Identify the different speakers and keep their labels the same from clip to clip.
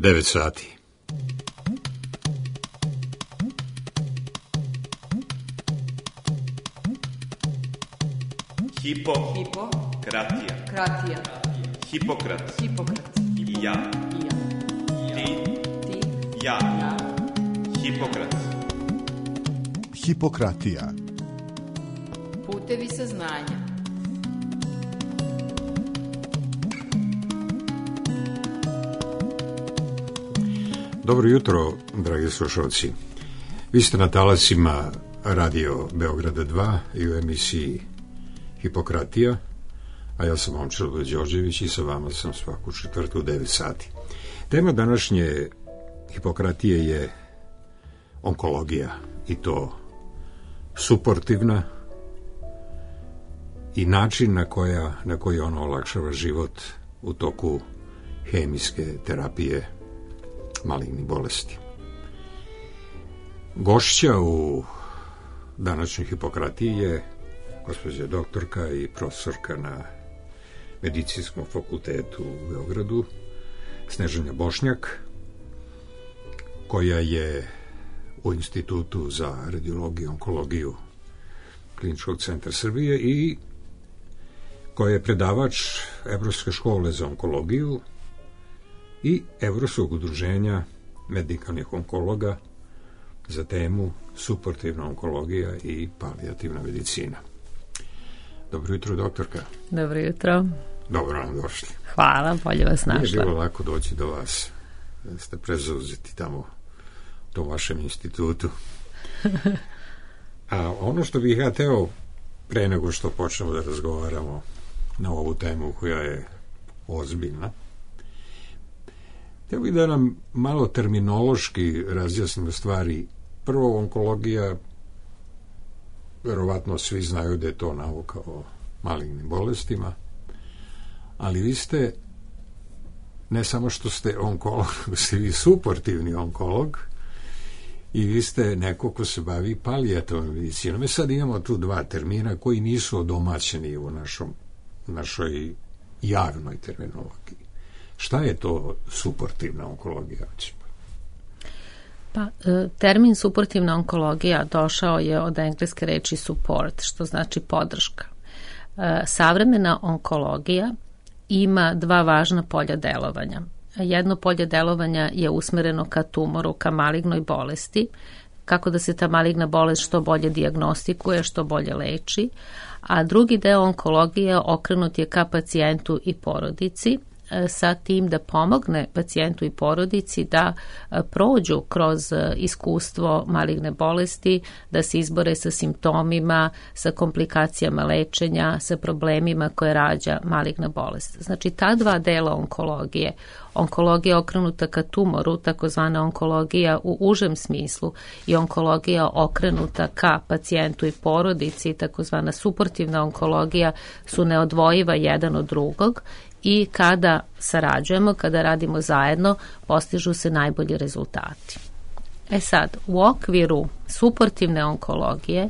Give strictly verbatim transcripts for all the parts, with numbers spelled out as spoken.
Speaker 1: devet sati.
Speaker 2: Hipo.
Speaker 3: Hipo.
Speaker 2: Kratija.
Speaker 3: Kratija.
Speaker 2: Hipokrat.
Speaker 3: Hipokrat.
Speaker 2: I ja.
Speaker 3: I ja.
Speaker 2: Ti.
Speaker 3: Ti.
Speaker 2: Ja.
Speaker 3: Ja.
Speaker 2: Hipokrat.
Speaker 4: Hipokratija.
Speaker 3: Putevi saznanja.
Speaker 1: Dobro jutro, dragi slušalci. Vi ste na talasima Radio Beograda dva i u emisiji Hipokratija, a ja sam Momčilo Đorđević i sa vama sam svaku četvrtu u devet sati. Tema današnje Hipokratije je onkologija, i to suportivna i način na, koja, na koji ona olakšava život u toku hemijske terapije malignih bolesti. Gošća u današnjoj Hipokratiji je gospođa doktorka i profesorka na Medicinskom fakultetu u Beogradu, Snežana Bošnjak, koja je u Institutu za radiologiju i onkologiju Kliničkog centra Srbije i koja je predavač Evropske škole za onkologiju i Evropskog udruženja medikalnih onkologa za temu suportivna onkologija i palijativna medicina. Dobro jutro, doktorka.
Speaker 5: Dobro jutro.
Speaker 1: Dobro nam došli.
Speaker 5: Hvala, bolje vas našla.
Speaker 1: Nije bilo lako doći do vas. Ste prezauzeti tamo u tom vašem institutu. A ono što bih ja teo, pre nego što počnemo da razgovaramo na ovu temu koja je ozbiljna, htio bih da nam malo terminološki razjasnimo stvari. Prvo, onkologija, verovatno svi znaju da je to nauka o malignim bolestima, ali vi ste, ne samo što ste onkolog, ste vi suportivni onkolog i vi ste neko ko se bavi palijativnom medicinom. Mi sad imamo tu dva termina koji nisu odomaćeni u našom, našoj javnoj terminologiji. Šta je to suportivna onkologija?
Speaker 5: Pa, termin suportivna onkologija došao je od engleske reči support, što znači podrška. Savremena onkologija ima dva važna polja delovanja. Jedno polje delovanja je usmereno ka tumoru, ka malignoj bolesti, kako da se ta maligna bolest što bolje dijagnostikuje, što bolje leči, a drugi deo onkologije okrenut je ka pacijentu i porodici, sa tim da pomogne pacijentu i porodici da prođu kroz iskustvo maligne bolesti, da se izbore sa simptomima, sa komplikacijama lečenja, sa problemima koje rađa maligna bolest. Znači, ta dva dela onkologije, onkologija okrenuta ka tumoru, takozvana onkologija u užem smislu, i onkologija okrenuta ka pacijentu i porodici, takozvana suportivna onkologija, su neodvojiva jedan od drugog i kada sarađujemo, kada radimo zajedno, postižu se najbolji rezultati. E sad, u okviru suportivne onkologije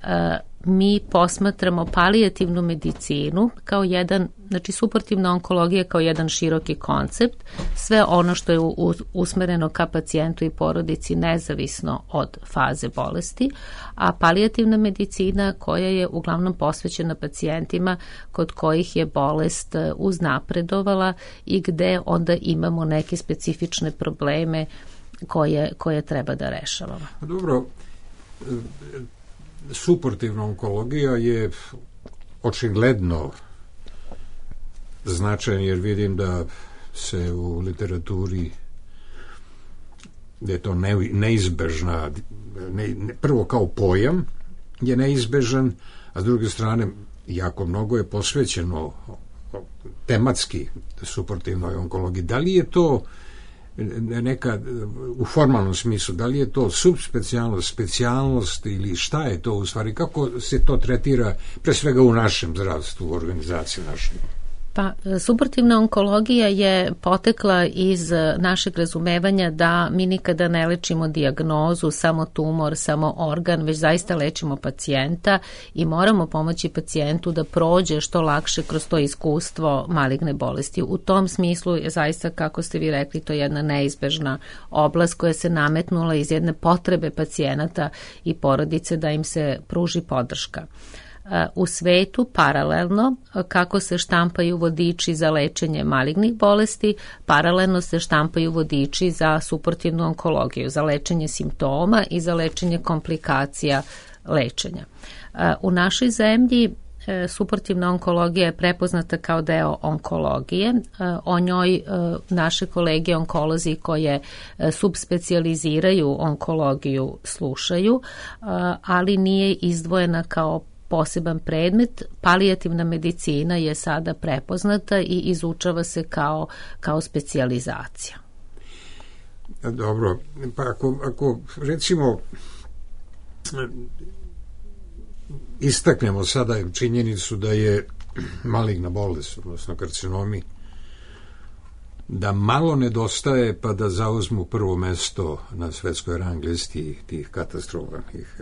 Speaker 5: e, mi posmatramo palijativnu medicinu kao jedan, znači suportivna onkologija kao jedan široki koncept, sve ono što je usmereno ka pacijentu i porodici nezavisno od faze bolesti, a palijativna medicina koja je uglavnom posvećena pacijentima kod kojih je bolest uznapredovala i gde onda imamo neke specifične probleme koje, koje treba da rešavamo.
Speaker 1: Dobro, suportivna onkologija je očigledno značajan, jer vidim da se u literaturi da je to ne, neizbežna, ne, ne, prvo kao pojam je neizbežan, a s druge strane jako mnogo je posvećeno tematski suportivnoj onkologiji. Da li je to neka, u formalnom smislu, da li je to subspecijalnost, specijalnost ili šta je to u stvari, kako se to tretira pre svega u našem zdravstvu, u organizaciji našoj?
Speaker 5: Pa, suportivna onkologija je potekla iz našeg razumevanja da mi nikada ne lečimo dijagnozu, samo tumor, samo organ, već zaista lečimo pacijenta i moramo pomoći pacijentu da prođe što lakše kroz to iskustvo maligne bolesti. U tom smislu je zaista, kako ste vi rekli, to je jedna neizbežna oblast koja se nametnula iz jedne potrebe pacijenata i porodice da im se pruži podrška. U svetu paralelno, kako se štampaju vodiči za lečenje malignih bolesti, paralelno se štampaju vodiči za suportivnu onkologiju, za lečenje simptoma i za lečenje komplikacija lečenja. U našoj zemlji suportivna onkologija je prepoznata kao deo onkologije. O njoj naše kolege onkolozi koje subspecijaliziraju onkologiju slušaju, ali nije izdvojena kao poseban predmet. Palijativna medicina je sada prepoznata i izučava se kao, kao specijalizacija.
Speaker 1: Dobro, pa ako, ako recimo istaknemo sada činjenicu da je maligna bolest, odnosno karcinomi, da malo nedostaje pa da zauzmu prvo mesto na svetskoj rang listi tih katastrofalnih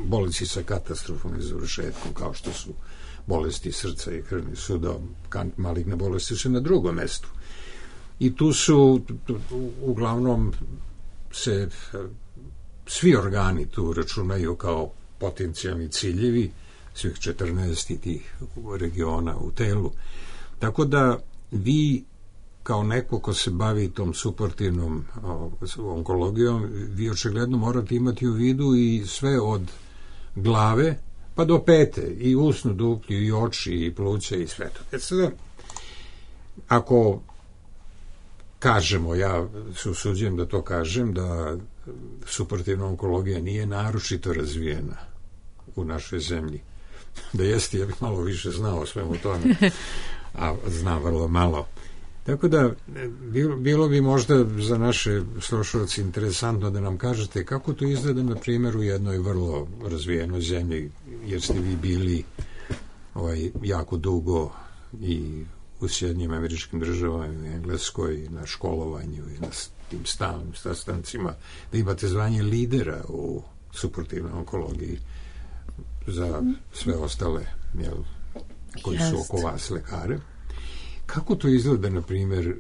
Speaker 1: bolesti sa katastrofalnim završetkom, kao što su bolesti srca i krvnih sudova, maligne bolesti su na drugom mestu. I tu su, uglavnom, se svi organi tu računaju kao potencijalni ciljevi, svih četrnaest tih regiona u telu. Tako da vi kao neko ko se bavi tom suportivnom onkologijom, vi očigledno morate imati u vidu i sve od glave pa do pete, i usnu duplju, i oči, i pluća, i sve to. E sada, ako kažemo, ja se usuđujem da to kažem, da suportivna onkologija nije naročito razvijena u našoj zemlji, da jeste, ja bih malo više znao svemu tome, a znam vrlo malo. Tako da, bilo, bilo bi možda za naše slušalce interesantno da nam kažete kako to izgleda, na primjer, u jednoj vrlo razvijenoj zemlji, jer ste vi bili ovaj, jako dugo i u Sjedinjenim Američkim Državama, i u Engleskoj, na školovanju i na tim stalnim sastancima, da imate zvanje lidera u suportivnoj onkologiji za sve ostale, jel, koji su oko vas lekare. Kako to izgleda, na primjer,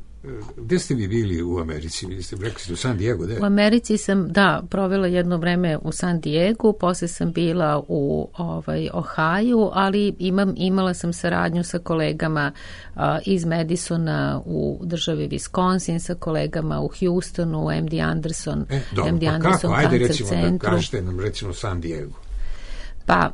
Speaker 1: gde ste vi bili u Americi? Vi ste rekli u San Diego, gde?
Speaker 5: U Americi sam, da, provela jedno vreme u San Diego, posle sam bila u ovaj, Ohio, ali imam, imala sam saradnju sa kolegama a, iz Madisona u državi Wisconsin, sa kolegama u Houstonu, u M D Anderson,
Speaker 1: e, dobro,
Speaker 5: M D
Speaker 1: pa
Speaker 5: Anderson
Speaker 1: kako? Ajde,
Speaker 5: Cancer
Speaker 1: recimo,
Speaker 5: centru.
Speaker 1: da kažete nam, recimo, San Diego.
Speaker 5: Pa,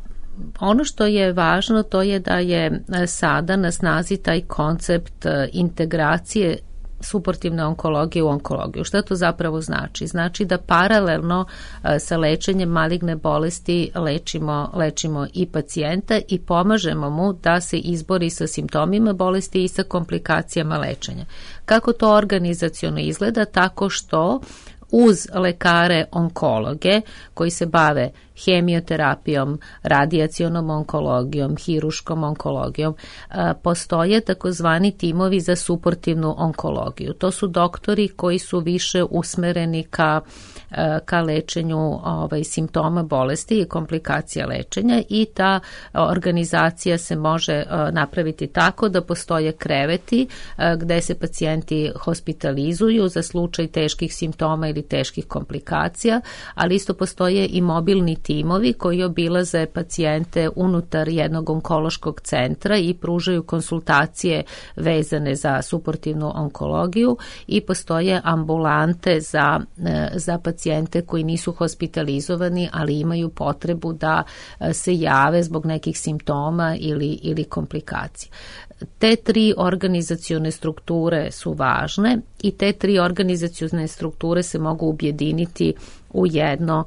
Speaker 5: ono što je važno to je da je sada na snazi taj koncept integracije suportivne onkologije u onkologiju. Šta to zapravo znači? Znači da paralelno sa lečenjem maligne bolesti lečimo, lečimo i pacijenta i pomažemo mu da se izbori sa simptomima bolesti i sa komplikacijama lečenja. Kako to organizaciono izgleda? Tako što uz lekare onkologe koji se bave hemioterapijom, radijacionom onkologijom, hiruškom onkologijom, postoje takozvani timovi za suportivnu onkologiju. To su doktori koji su više usmereni ka, ka lečenju ovaj, simptoma bolesti i komplikacija lečenja, i ta organizacija se može napraviti tako da postoje kreveti gde se pacijenti hospitalizuju za slučaj teških simptoma ili teških komplikacija, ali isto postoje i mobilni timovi koji obilaze pacijente unutar jednog onkološkog centra i pružaju konsultacije vezane za suportivnu onkologiju, i postoje ambulante za, za pacijente koji nisu hospitalizovani, ali imaju potrebu da se jave zbog nekih simptoma ili, ili komplikacija. Te tri organizacione strukture su važne i te tri organizacione strukture se mogu objediniti u jedno,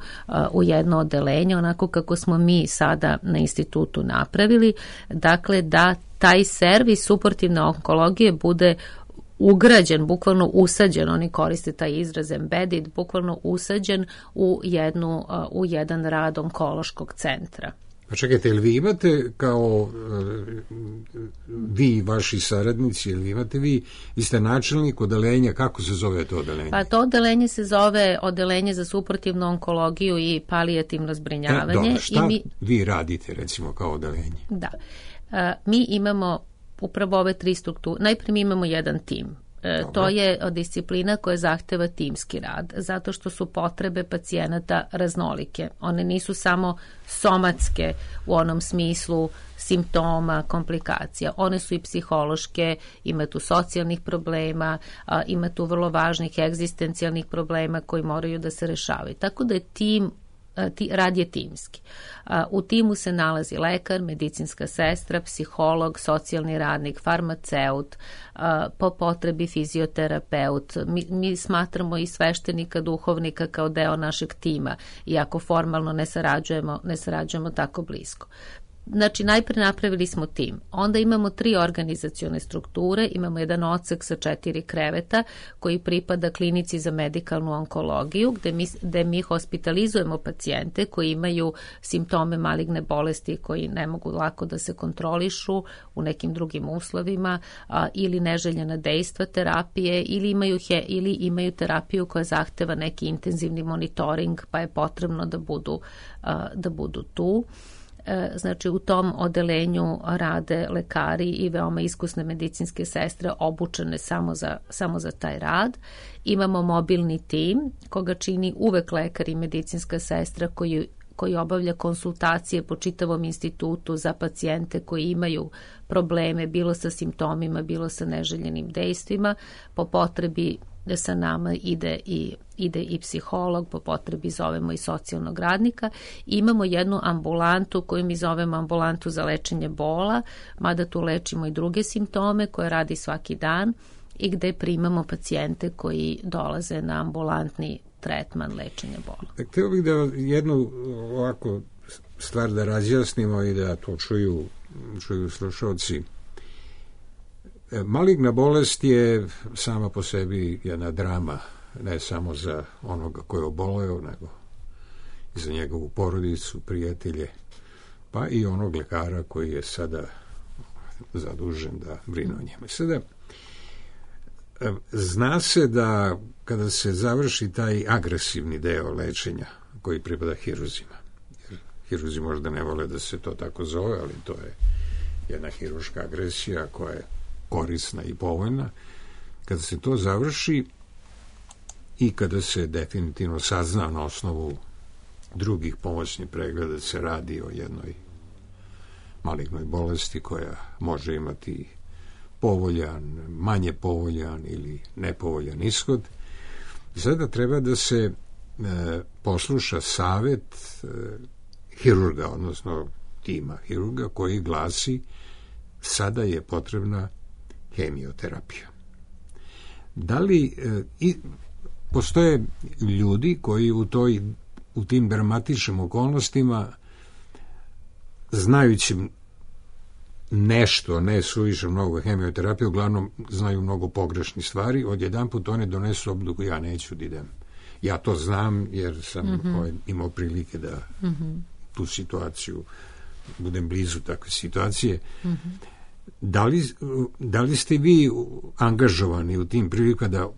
Speaker 5: u jedno odeljenje, onako kako smo mi sada na institutu napravili, dakle da taj servis suportivne onkologije bude ugrađen, bukvalno usađen, oni koriste taj izraz embedded, bukvalno usađen u, jednu, u jedan rad onkološkog centra.
Speaker 1: Pa čekajte, jel vi imate kao e, vi i vaši saradnici, jel vi imate vi, vi ste načelnik odeljenja, kako se zove to odeljenje?
Speaker 5: Pa to odeljenje se zove Odeljenje za suportivnu onkologiju i palijativno zbrinjavanje.
Speaker 1: E, dobro, šta
Speaker 5: i mi,
Speaker 1: vi radite recimo kao odeljenje?
Speaker 5: Da, e, mi imamo upravo ove tri strukture. Najprije mi imamo jedan tim. E, to je disciplina koja zahteva timski rad, zato što su potrebe pacijenata raznolike. One nisu samo somatske u onom smislu simptoma, komplikacija. One su i psihološke, ima tu socijalnih problema, a, ima tu vrlo važnih egzistencijalnih problema koji moraju da se rešavaju. Tako da je tim Ti, rad je timski. U timu se nalazi lekar, medicinska sestra, psiholog, socijalni radnik, farmaceut, po potrebi fizioterapeut. Mi, mi smatramo i sveštenika, duhovnika kao deo našeg tima, iako formalno ne sarađujemo, ne sarađujemo tako blisko. Znači, najpre napravili smo tim. Onda imamo tri organizacione strukture, imamo jedan odsek sa četiri kreveta koji pripada klinici za medikalnu onkologiju, gde mi, gde mi hospitalizujemo pacijente koji imaju simptome maligne bolesti koji ne mogu lako da se kontrolišu u nekim drugim uslovima, a, ili neželjena dejstva terapije, ili imaju, he, ili imaju terapiju koja zahteva neki intenzivni monitoring, pa je potrebno da budu, a, da budu tu. Znači, u tom odelenju rade lekari i veoma iskusne medicinske sestre obučene samo za, samo za taj rad. Imamo mobilni tim koga čini uvek lekar i medicinska sestra koji koji obavlja konsultacije po čitavom institutu za pacijente koji imaju probleme bilo sa simptomima, bilo sa neželjenim dejstvima. Po potrebi da sa nama ide i, ide i psiholog, po potrebi zovemo i socijalnog radnika. Imamo jednu ambulantu koju mi zovemo ambulantu za lečenje bola, mada tu lečimo i druge simptome koje radi svaki dan i gde primamo pacijente koji dolaze na ambulantni tretman lečenja bola.
Speaker 1: Htio bih da jednu ovako stvar da razjasnimo i da to čuju, čuju slušalci. Maligna bolest je sama po sebi jedna drama, ne samo za onoga koji je oboleo, nego i za njegovu porodicu, prijatelje, pa i onog lekara koji je sada zadužen da brine o njemu. Sada, zna se da kada se završi taj agresivni deo lečenja koji pripada hiruzima, jer hiruzi možda ne vole da se to tako zove, ali to je jedna hiruška agresija koja je korisna i povoljna, kada se to završi i kada se definitivno sazna na osnovu drugih pomoćnih pregleda da se radi o jednoj malignoj bolesti koja može imati povoljan, manje povoljan ili nepovoljan ishod. Sada treba da se e, posluša savet e, hirurga, odnosno tima hirurga koji glasi sada je potrebna hemioterapija. Da li e, i, postoje ljudi koji u toj u tim dramatičnim okolnostima znajući nešto, ne suviše mnogo hemioterapije, uglavnom znaju mnogo pogrešnih stvari, odjedanput one donesu odluku ja neću da idem. Ja to znam jer sam mm-hmm. ovaj, imao prilike da mm-hmm. tu situaciju budem blizu takve situacije. Mm-hmm. Da li, da li ste vi angažovani u tim prilikama da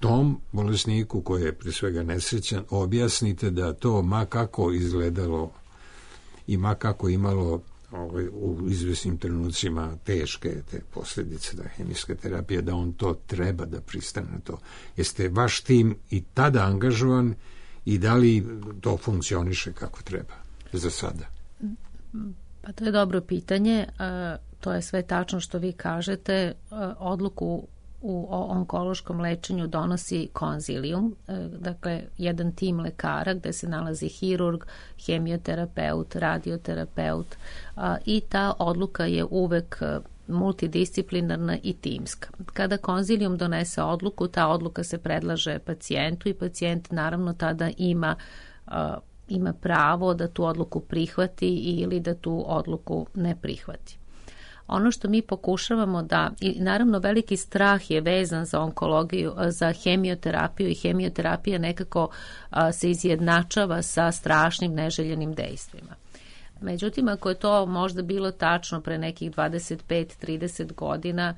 Speaker 1: tom bolesniku koji je pre svega nesrećan objasnite da to ma kako izgledalo i ma kako imalo ovaj, u izvesnim trenucima teške te posljedice da hemijska terapija, da on to treba da pristane na to. Jeste vaš tim i tada angažovan i da li to funkcioniše kako treba za sada?
Speaker 5: Pa to je dobro pitanje. To je sve tačno što vi kažete. Odluku u onkološkom lečenju donosi konzilijum, dakle jedan tim lekara gde se nalazi hirurg, hemioterapeut, radioterapeut i ta odluka je uvek multidisciplinarna i timska. Kada konzilijum donese odluku, ta odluka se predlaže pacijentu i pacijent naravno tada ima ima pravo da tu odluku prihvati ili da tu odluku ne prihvati. Ono što mi pokušavamo da, i naravno veliki strah je vezan za onkologiju, za hemioterapiju i hemioterapija nekako a, se izjednačava sa strašnim neželjenim dejstvima. Međutim, ako je to možda bilo tačno pre nekih dvadeset pet do trideset godina,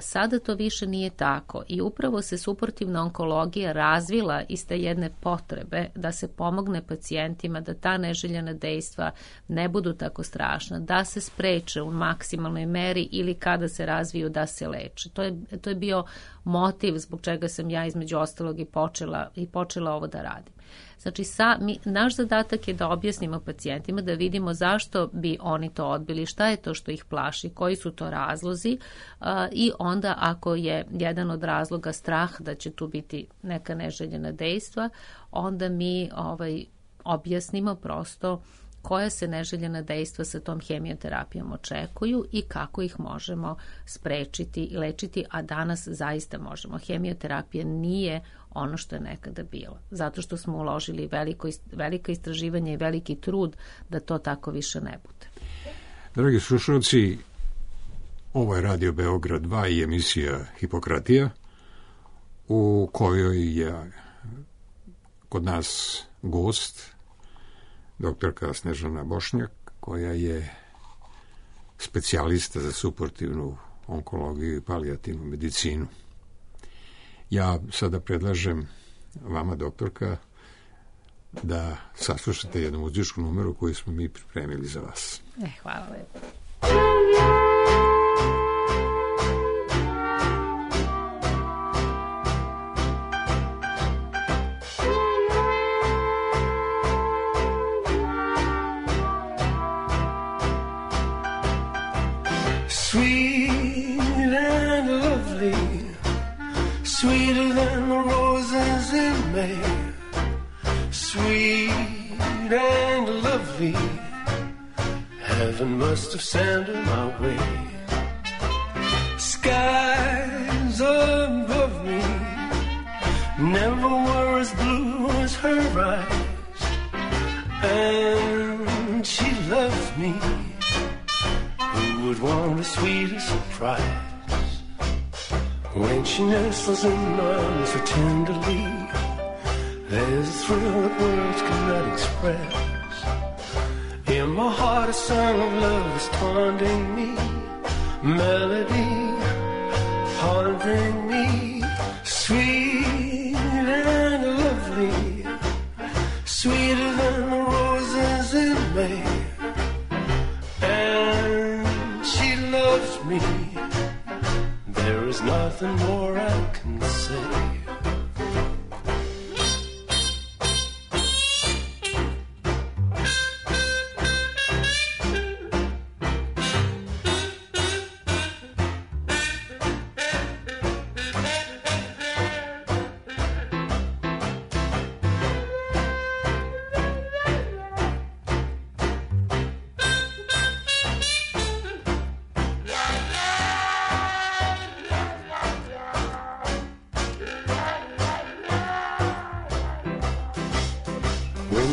Speaker 5: sada to više nije tako i upravo se suportivna onkologija razvila iz te jedne potrebe da se pomogne pacijentima da ta neželjena dejstva ne budu tako strašna, da se spreče u maksimalnoj meri ili kada se razviju da se leče. To je, to je bio motiv zbog čega sam ja između ostalog i počela, i počela ovo da radim. Znači, sa, mi, naš zadatak je da objasnimo pacijentima, da vidimo zašto bi oni to odbili, šta je to što ih plaši, koji su to razlozi uh, i onda ako je jedan od razloga strah da će tu biti neka neželjena dejstva, onda mi ovaj, objasnimo prosto koja se neželjena dejstva sa tom hemioterapijom očekuju i kako ih možemo sprečiti i lečiti, a danas zaista možemo. Hemioterapija nije ono što je nekada bilo, zato što smo uložili veliko, velika istraživanja i veliki trud da to tako više ne bude.
Speaker 1: Dragi slušalci, ovo je Radio Beograd dva i emisija Hipokratija, u kojoj je kod nas gost doktorka Snežana Bošnjak, koja je specijalista za suportivnu onkologiju i palijativnu medicinu. Ja sada predlažem vama, doktorka, da saslušate jednu muzičku numeru koju smo mi pripremili za vas.
Speaker 5: E, hvala lepo.
Speaker 4: Sweet and lovely, sweeter than the roses in May. Sweet and lovely, heaven must have sent her my way. Skies above me never were as blue as her eyes, and she loves me. Who would want a sweeter surprise? When she nestles in my arms so tenderly, there's a thrill that words cannot express. In my heart a song of love is taunting me, melody haunting me. Sweet and lovely, sweeter than the roses in May. Me, there is nothing more I can say.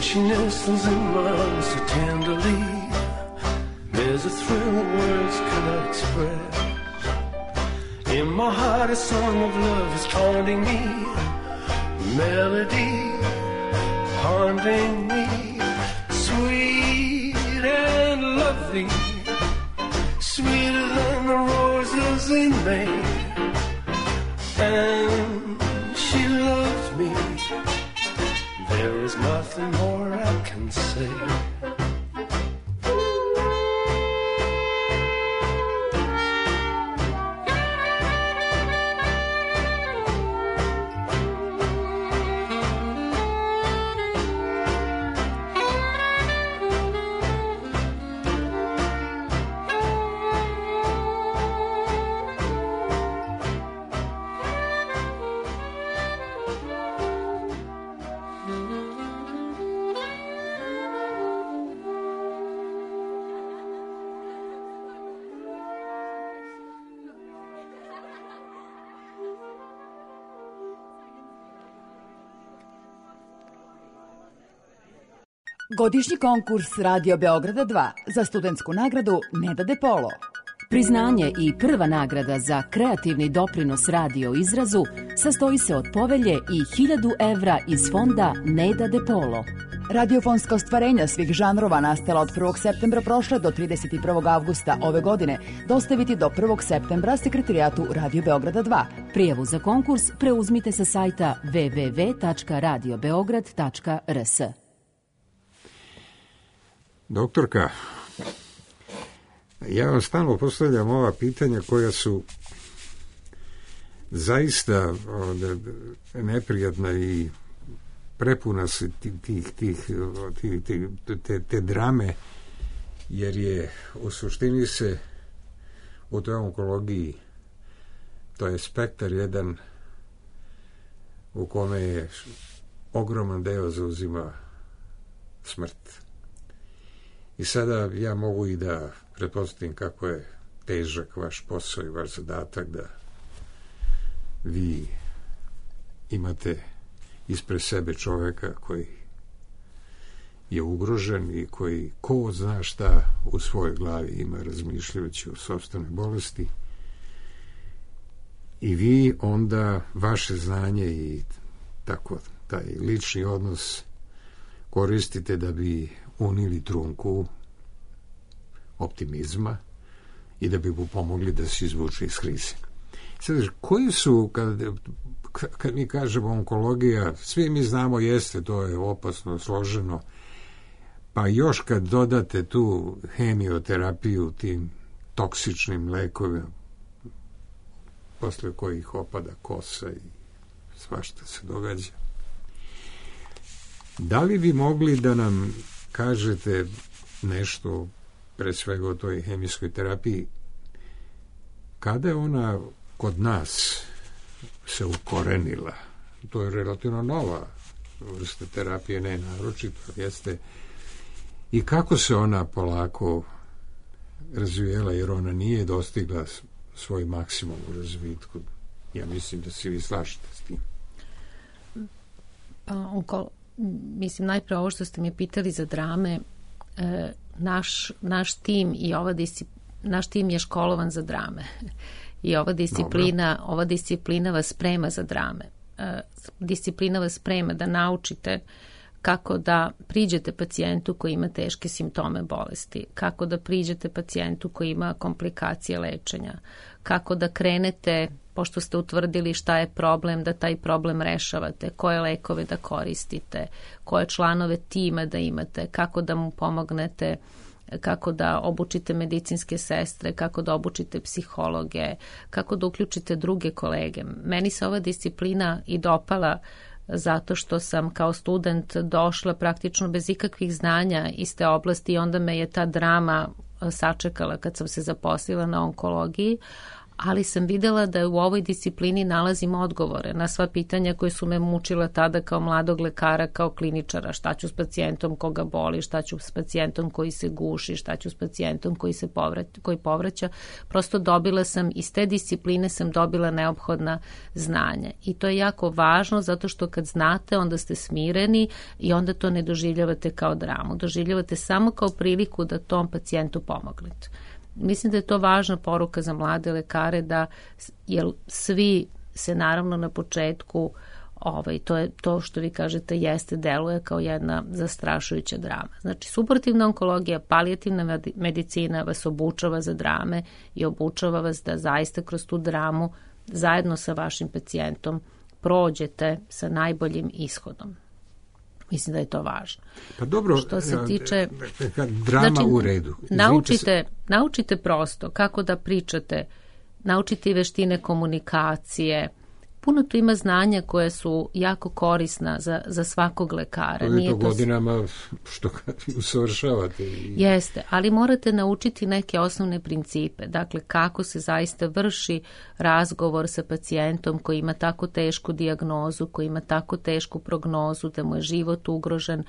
Speaker 4: She nestles in my arms so tenderly, there's a thrill that words cannot express. In my heart a song of love is taunting me, melody haunting me. Sweet and lovely, sweeter than the roses in May. And she loves me, there is nothing more I can say.
Speaker 6: Godišnji konkurs Radio Beograda dva za studentsku nagradu Neda De Polo. Priznanje i prva nagrada za kreativni doprinos radio izrazu sastoji se od povelje i hiljadu evra iz fonda Neda De Polo. Radiofonska ostvarenja svih žanrova nastala od prvog septembra prošle do trideset prvog avgusta ove godine dostaviti do prvog septembra Sekretarijatu Radio Beograda dva. Prijavu za konkurs preuzmite sa sajta w w w tačka radio beograd tačka r s.
Speaker 1: Doktorka, ja vam stalno postavljam ova pitanja koja su zaista neprijatna i prepuna se tih, tih, tih, tih, te, te drame, jer je u suštini se u toj onkologiji, to je spektar jedan u kome je ogroman deo zauzima smrt. I sada ja mogu i da pretpostavim kako je težak vaš posao i vaš zadatak, da vi imate ispred sebe čoveka koji je ugrožen i koji ko zna šta u svojoj glavi ima razmišljajući o sopstvenoj bolesti, i vi onda vaše znanje i tako taj lični odnos koristite da bi unili trunku optimizma i da bi mu pomogli da se izvuče iz krize. Sad, koji su, kad, kad mi kažemo onkologija, svi mi znamo, jeste, to je opasno, složeno, pa još kad dodate tu hemioterapiju tim toksičnim lekovima, posle kojih opada kosa i svašta se događa. Da li bi mogli da nam kažete nešto pre svega o toj hemijskoj terapiji, kada je ona kod nas se ukorenila? To je relativno nova vrsta terapije, ne naročito, jeste, i kako se ona polako razvijela, jer ona nije dostigla svoj maksimum u razvitku. Ja mislim da se vi slažete s tim.
Speaker 5: Pa, onko, mislim, najprije ovo što ste mi pitali za drame, e, naš, naš tim i ova disciplina, naš tim je školovan za drame. I ova disciplina, Dobro. ova disciplina vas sprema za drame. E, disciplina vas sprema da naučite kako da priđete pacijentu koji ima teške simptome bolesti, kako da priđete pacijentu koji ima komplikacije lečenja, kako da krenete, pošto ste utvrdili šta je problem, da taj problem rešavate, koje lekove da koristite, koje članove tima da imate, kako da mu pomognete, kako da obučite medicinske sestre, kako da obučite psihologe, kako da uključite druge kolege. Meni se ova disciplina i dopala zato što sam kao student došla praktično bez ikakvih znanja iz te oblasti i onda me je ta drama sačekala kad sam se zaposlila na onkologiji, ali sam videla da u ovoj disciplini nalazim odgovore na sva pitanja koje su me mučila tada kao mladog lekara, kao kliničara. Šta ću s pacijentom koga boli, šta ću s pacijentom koji se guši, šta ću s pacijentom koji se povraća, koji povraća. Prosto dobila sam, iz te discipline sam dobila neophodna znanja. I to je jako važno zato što kad znate, onda ste smireni i onda to ne doživljavate kao dramu. Doživljavate samo kao priliku da tom pacijentu pomognete. Mislim da je to važna poruka za mlade lekare, da jer svi se naravno na početku, ovaj, to je to što vi kažete, jeste, deluje kao jedna zastrašujuća drama. Znači, suportivna onkologija, palijativna medicina vas obučava za drame i obučava vas da zaista kroz tu dramu zajedno sa vašim pacijentom prođete sa najboljim ishodom. Mislim da je to važno.
Speaker 1: Pa dobro,
Speaker 5: što se tiče
Speaker 1: drama
Speaker 5: znači,
Speaker 1: u redu.
Speaker 5: Naučite, naučite prosto kako da pričate, naučite veštine komunikacije. Puno tu ima znanja koje su jako korisna za, za svakog lekara.
Speaker 1: To je to godinama što usavršavate.
Speaker 5: Jeste, ali morate naučiti neke osnovne principe. Dakle, kako se zaista vrši razgovor sa pacijentom koji ima tako tešku dijagnozu, koji ima tako tešku prognozu, da mu je život ugrožen.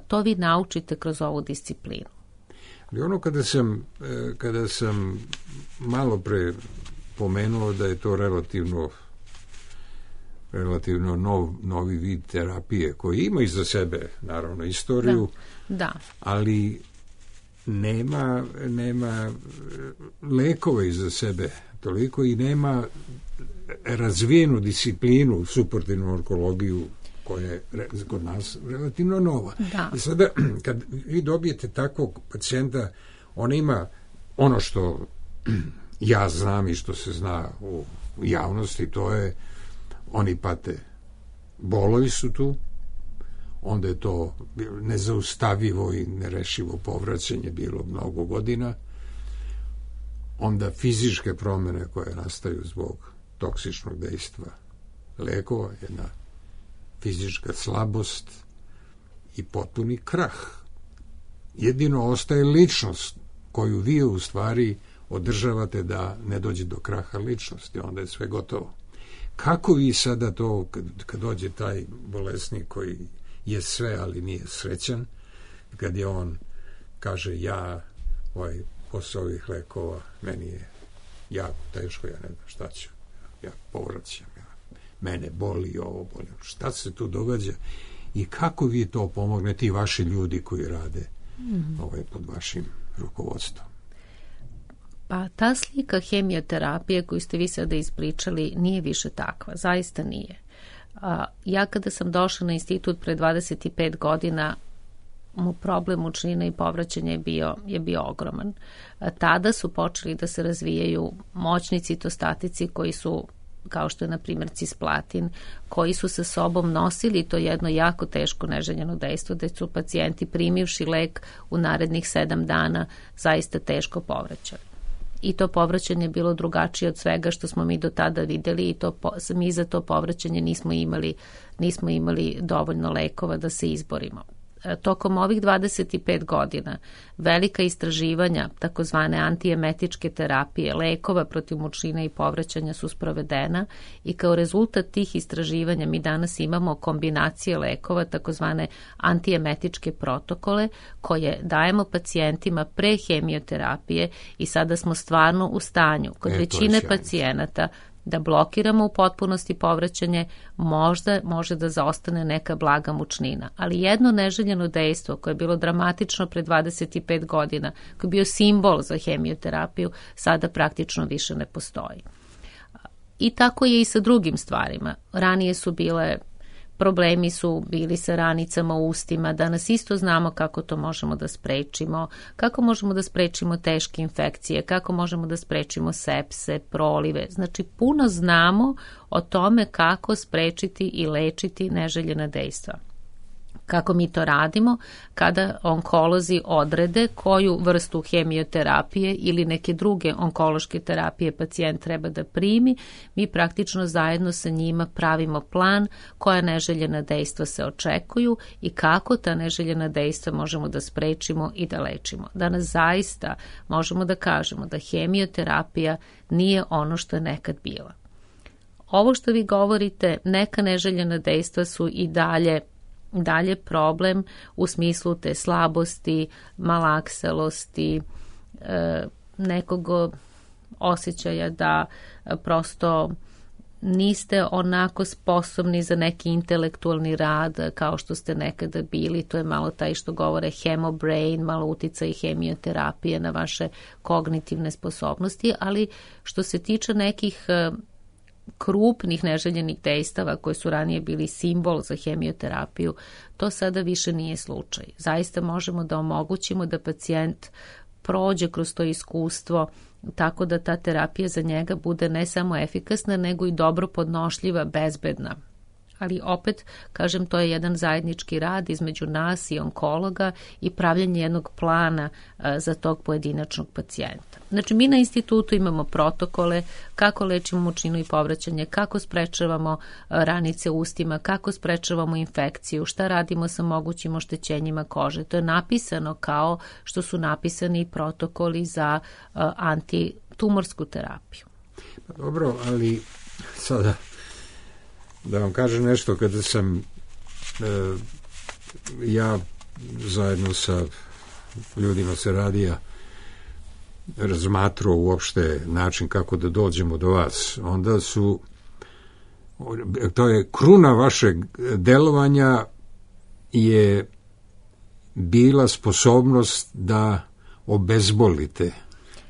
Speaker 5: To vi naučite kroz ovu disciplinu.
Speaker 1: Ali ono kada sam, kada sam malo pre pomenuo da je to relativno relativno nov, novi vid terapije koji ima iza sebe naravno istoriju,
Speaker 5: da, da.
Speaker 1: ali nema, nema lekove iza sebe toliko i nema razvijenu disciplinu, suportivnu onkologiju koja je re, kod nas relativno nova.
Speaker 5: Da.
Speaker 1: I sada, kad vi dobijete takvog pacijenta, on ima ono što ja znam i što se zna u javnosti, to je oni pate, bolovi su tu, onda je to nezaustavivo i nerešivo povraćanje bilo mnogo godina, onda fizičke promjene koje nastaju zbog toksičnog dejstva lekova, jedna fizička slabost i potpuni krah. Jedino ostaje ličnost koju vi u stvari održavate da ne dođe do kraha ličnosti, onda je sve gotovo. Kako vi sada to, kad, kad dođe taj bolesnik koji je sve, ali nije srećan, kad je on kaže ja, ovaj, posle ovih lekova, meni je jako teško, ja ne znam šta ću, ja povraćam, ja, mene boli ovo, boli, šta se tu događa i kako vi to pomognete i vaši ljudi koji rade mm-hmm. ovaj, pod vašim rukovodstvom?
Speaker 5: Pa ta slika hemioterapije koju ste vi sada ispričali nije više takva, zaista nije. A, ja kada sam došla na institut pre dvadeset pet godina, mu problem mučnine i povraćanja je bio, je bio ogroman. A, tada su počeli da se razvijaju moćni citostatici koji su, kao što je na primjer cisplatin, koji su sa sobom nosili to jedno jako teško neželjeno dejstvo, da su pacijenti primivši lek u narednih sedam dana zaista teško povraćali. I to povraćanje je bilo drugačije od svega što smo mi do tada videli i to, mi za to povraćanje nismo imali, nismo imali dovoljno lekova da se izborimo. Tokom ovih dvadeset pet godina velika istraživanja takozvane antiemetičke terapije, lekova protiv mučnine i povraćanja su sprovedena i kao rezultat tih istraživanja mi danas imamo kombinacije lekova, takozvane antiemetičke protokole koje dajemo pacijentima pre hemioterapije i sada smo stvarno u stanju kod e, većine pacijenata da blokiramo u potpunosti povraćanje, možda može da zaostane neka blaga mučnina. Ali jedno neželjeno dejstvo koje je bilo dramatično pre dvadeset pet godina, koji je bio simbol za hemioterapiju, sada praktično više ne postoji. I tako je i sa drugim stvarima. Ranije su bile problemi su bili sa ranicama u ustima, danas isto znamo kako to možemo da sprečimo, kako možemo da sprečimo teške infekcije, kako možemo da sprečimo sepse, prolive. Znači, puno znamo o tome kako sprečiti i lečiti neželjena dejstva. Kako mi to radimo? Kada onkolozi odrede koju vrstu hemioterapije ili neke druge onkološke terapije pacijent treba da primi, mi praktično zajedno sa njima pravimo plan koja neželjena dejstva se očekuju i kako ta neželjena dejstva možemo da sprečimo i da lečimo. Danas zaista možemo da kažemo da hemioterapija nije ono što je nekad bila. Ovo što vi govorite, neka neželjena dejstva su i dalje dalje problem u smislu te slabosti, malakselosti, e, nekog osjećaja da prosto niste onako sposobni za neki intelektualni rad kao što ste nekada bili. To je malo taj što govore hemobrain, malo uticaj hemioterapije na vaše kognitivne sposobnosti, ali što se tiče nekih krupnih neželjenih dejstava koji su ranije bili simbol za hemioterapiju, to sada više nije slučaj. Zaista možemo da omogućimo da pacijent prođe kroz to iskustvo tako da ta terapija za njega bude ne samo efikasna, nego i dobro podnošljiva, bezbedna. Ali opet, kažem, to je jedan zajednički rad između nas i onkologa i pravljanje jednog plana a, za tog pojedinačnog pacijenta. Znači, mi na institutu imamo protokole kako lečimo mučninu i povraćanje, kako sprečavamo a, ranice u ustima, kako sprečavamo infekciju, šta radimo sa mogućim oštećenjima kože. To je napisano kao što su napisani protokoli za a, antitumorsku terapiju.
Speaker 1: Dobro, ali sada da vam kažem nešto, kada sam e, ja zajedno sa ljudima sa radija razmatrao uopšte način kako da dođemo do vas, onda su to je kruna vašeg delovanja je bila sposobnost da obezbolite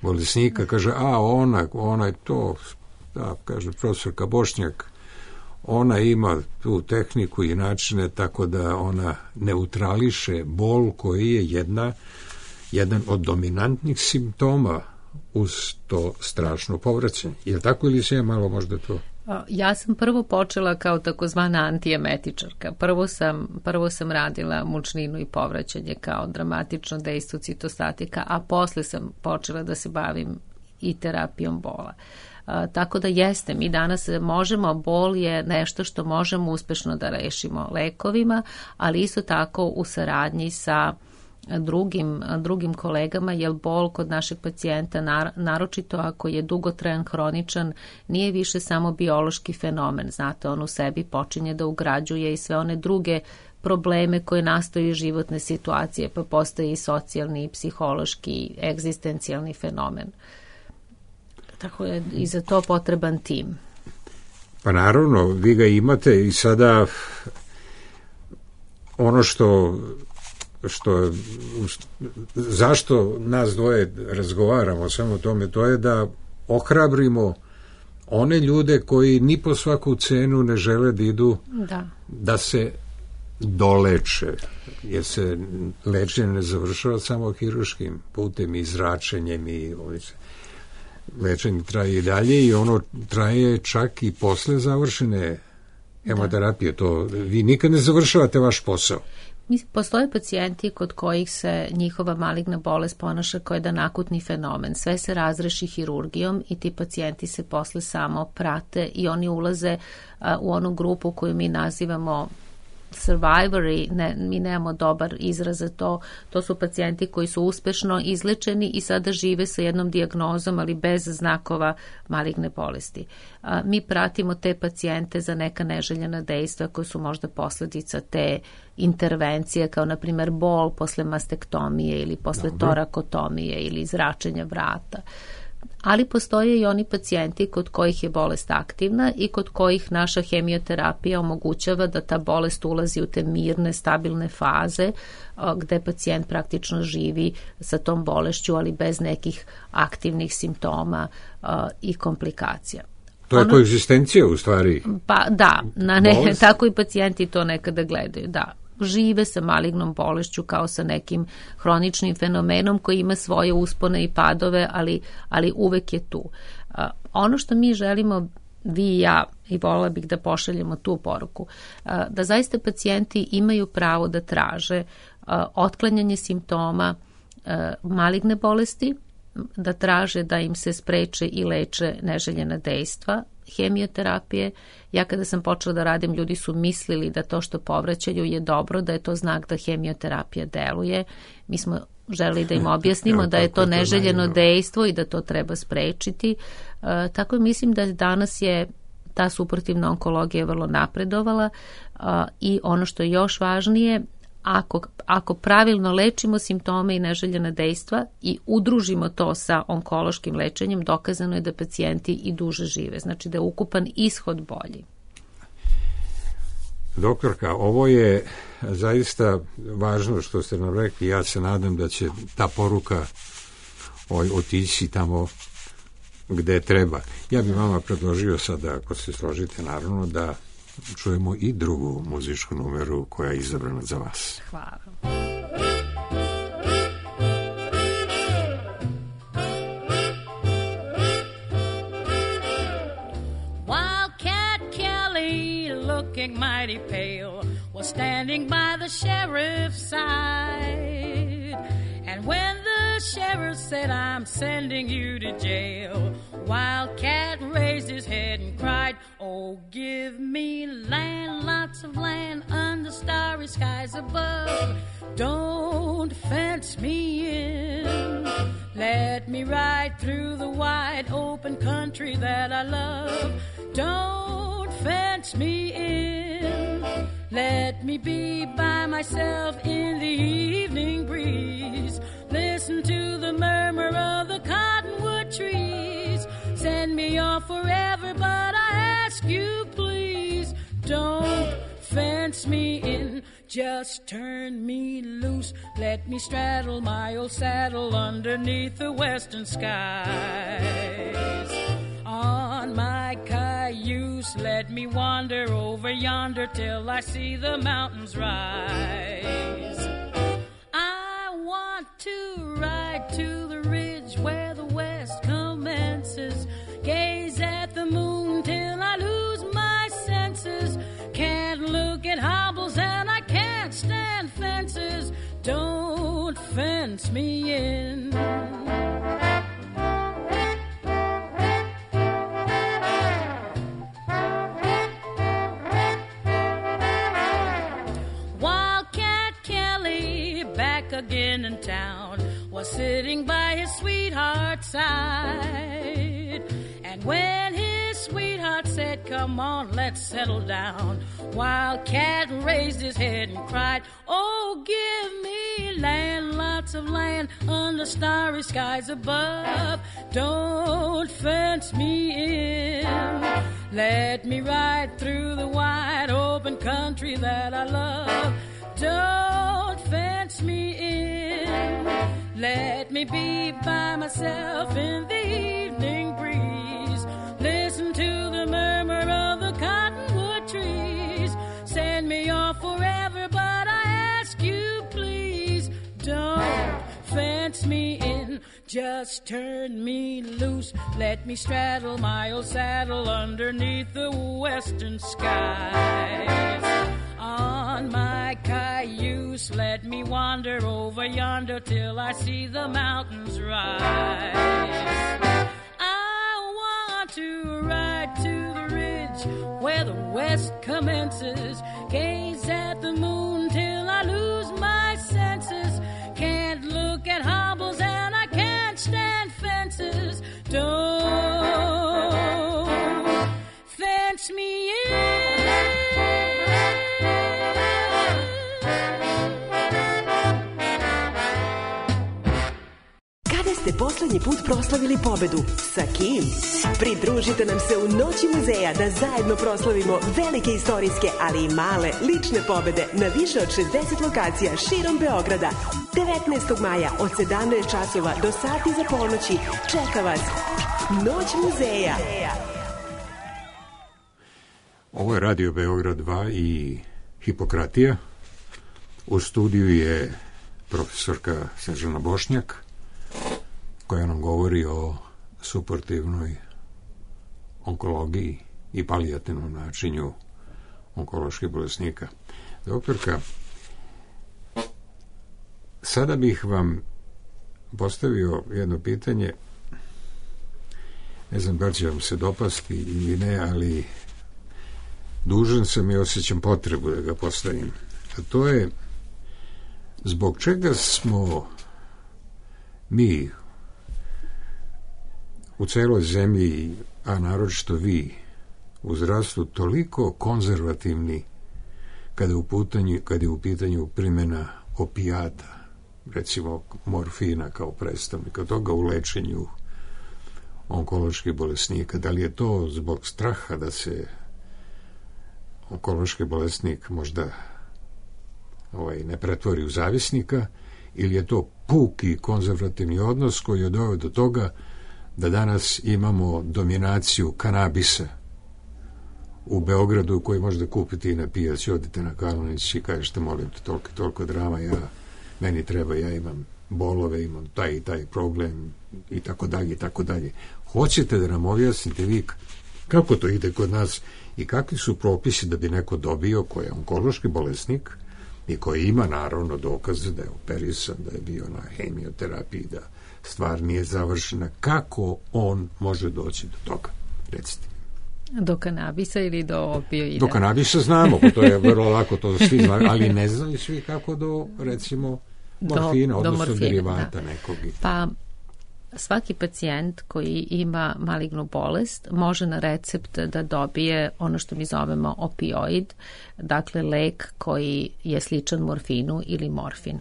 Speaker 1: bolesnika. Kaže, a ona, ona je to, da, kaže profesorka Bošnjak, ona ima tu tehniku i načine tako da ona neutrališe bol koji je jedna, jedan od dominantnih simptoma uz to strašno povraćanje. Je li tako ili se ja malo možda to...
Speaker 5: Ja sam prvo počela kao takozvana antijemetičarka. Prvo sam, prvo sam radila mučninu i povraćanje kao dramatično dejstvo citostatika, a posle sam počela da se bavim i terapijom bola. A, tako da jeste, mi danas možemo, bol je nešto što možemo uspešno da rešimo lekovima, ali isto tako u saradnji sa drugim, drugim kolegama, jer bol kod našeg pacijenta, naročito ako je dugotrajan, hroničan, nije više samo biološki fenomen. Znate, on u sebi počinje da ugrađuje i sve one druge probleme koje nastaju iz životne situacije, pa postoji i socijalni, i psihološki, i egzistencijalni fenomen. Tako je i za to potreban tim.
Speaker 1: Pa naravno, vi ga imate i sada ono što što zašto nas dvoje razgovaramo samo o tome, to je da ohrabrimo one ljude koji ni po svaku cenu ne žele da idu
Speaker 5: da,
Speaker 1: da se doleče, jer se lečenje ne završava samo hirurškim putem i zračenjem i lečenje traje i dalje i ono traje čak i posle završene hemoterapije. To vi nikad ne završavate vaš posao.
Speaker 5: Postoje pacijenti kod kojih se njihova maligna bolest ponaša kao jedan akutni fenomen. Sve se razreši hirurgijom i ti pacijenti se posle samo prate i oni ulaze a, u onu grupu koju mi nazivamo survivori, ne, mi nemamo dobar izraz za to, to su pacijenti koji su uspešno izlečeni i sada žive sa jednom dijagnozom, ali bez znakova maligne bolesti. A, mi pratimo te pacijente za neka neželjena dejstva koje su možda posledica te intervencije, kao na primjer bol posle mastektomije ili posle Dobre. torakotomije ili zračenja vrata. Ali postoje i oni pacijenti kod kojih je bolest aktivna i kod kojih naša hemioterapija omogućava da ta bolest ulazi u te mirne, stabilne faze gde pacijent praktično živi sa tom bolešću, ali bez nekih aktivnih simptoma i komplikacija.
Speaker 1: To je ono, koegzistencija u stvari.
Speaker 5: Pa da, na ne, tako i pacijenti to nekada gledaju, da. Žive sa malignom bolešću kao sa nekim hroničnim fenomenom koji ima svoje uspone i padove, ali, ali uvek je tu. Uh, ono što mi želimo, vi i ja, i volila bih da pošaljemo tu poruku, uh, da zaista pacijenti imaju pravo da traže uh, otklanjanje simptoma uh, maligne bolesti, da traže da im se spreče i leče neželjena dejstva, hemioterapije. Ja kada sam počela da radim, ljudi su mislili da to što povraćaju je dobro, da je to znak da hemioterapija deluje. Mi smo želeli da im objasnimo da je to neželjeno dejstvo i da to treba sprečiti. E, tako mislim da danas je ta suportivna onkologija vrlo napredovala a, i ono što je još važnije, Ako, ako pravilno lečimo simptome i neželjena dejstva i udružimo to sa onkološkim lečenjem, dokazano je da pacijenti i duže žive. Znači da je ukupan ishod bolji.
Speaker 1: Doktorka, ovo je zaista važno što ste nam rekli. Ja se nadam da će ta poruka otići tamo gde treba. Ja bih vama predložio sada, ako se složite, naravno, da čujemo i drugu muzičku numeru koja je izabrana za vas.
Speaker 5: Hvala.
Speaker 7: Wildcat Kelly, looking mighty pale, was standing by the sheriff's side. And when the sheriff said, "I'm sending you to jail," Wildcat raised his head and cried, "Oh, give me land, lots of land under starry skies above. Don't fence me in. Let me ride through the wide open country that I love. Don't fence me in. Let me be by myself in the evening breeze. Listen to the murmur of the cottonwood trees. Send me off forever, but I ask you please, don't fence me in. Just turn me loose. Let me straddle my old saddle underneath the western skies. On my Cayuse cayuse. Let me wander over yonder till I see the mountains rise. I want to ride to the ridge where the west commences. Gaze at the moon till I lose my senses. Can't look at hobbles and I can't stand fences. Don't fence me in. Wildcat Kelly, back again in town, was sitting by his sweetheart's side. And when his sweetheart said, come on, let's settle down, Wildcat raised his head and cried, oh, give me land, lots of land under starry skies above. Don't fence me in. Let me ride through the wide open country that I love. Don't fence me in. Let me be by myself in the evening breeze. Listen to the murmur of the cottonwood trees. Send me off forever, but I ask you please, don't fence me in. Just turn me loose. Let me straddle my old saddle underneath the western skies. On my cayuse, let me wander over yonder till I see the mountains rise. I want to ride to the ridge where the west commences. Gaze at the moon till I lose my senses. Can't look at hobbles and I can't stand fences. Don't fence me in.
Speaker 8: Kada ste poslednji put proslavili pobedu? Sa kim? Pridružite nam se u Noći muzeja da zajedno proslavimo velike istorijske, ali i male lične pobede na više od šezdeset lokacija širom Beograda. devetnaestog maja od sedamnaest časova do sati za ponoći čeka vas Noć muzeja.
Speaker 1: Ovo je Radio Beograd dva i Hipokratija. U studiju je profesorka Snežana Bošnjak, koja nam govori o suportivnoj onkologiji i palijativnom načinju onkoloških bolesnika. Doktorka, sada bih vam postavio jedno pitanje, ne znam da li će vam se dopasti ili ne, ali dužan sam i osjećam potrebu da ga postavim. A to je, zbog čega smo mi u celoj zemlji, a naročito vi u zdravstvu, toliko konzervativni kada je u pitanju, kada je u pitanju primjena opijata, recimo morfina kao predstavnika toga u lečenju onkoloških bolesnika? Da li je to zbog straha da se onkološki bolesnik možda ovaj, ne pretvori u zavisnika, ili je to puki konzervativni odnos koji je doveo do toga da danas imamo dominaciju kanabisa u Beogradu, koji možete kupiti i na pijaci? Odite na Kalanić i kažete, molim te, toliko, toliko drama, ja, meni treba, ja imam bolove, imam taj i taj problem i tako dalje i tako dalje. Hoćete da nam objasnite vi kako to ide kod nas i kakvi su propisi da bi neko dobio, koji je onkološki bolesnik i koji ima naravno dokaze da je operisan, da je bio na hemioterapiji, da stvar nije završena, kako on može doći do toga? Recite.
Speaker 5: Do kanabisa ili do opioida?
Speaker 1: Do kanabisa znamo, to je vrlo lako, to svi znaju, ali ne znaju svi kako do, recimo, morfina, do, odnosno do morfina, derivata, da, nekog.
Speaker 5: Pa svaki pacijent koji ima malignu bolest može na recept da dobije ono što mi zovemo opioid, dakle lek koji je sličan morfinu ili morfin.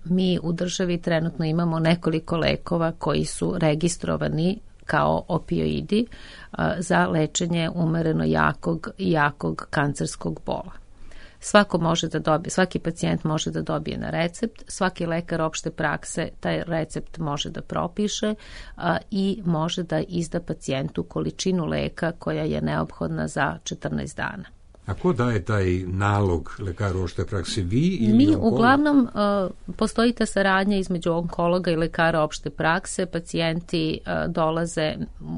Speaker 5: Mi u državi trenutno imamo nekoliko lekova koji su registrovani kao opioidi za lečenje umereno jakog i jakog kancerskog bola. Svako može da dobije, svaki pacijent može da dobije na recept, svaki lekar opšte prakse taj recept može da propiše a, i može da izda pacijentu količinu leka koja je neophodna za četrnaest dana.
Speaker 1: A ko daje taj nalog lekaru opšte prakse, vi ili
Speaker 5: Mi
Speaker 1: onkolog?
Speaker 5: uglavnom uh, postoji ta saradnja između onkologa i lekara opšte prakse, pacijenti uh, dolaze,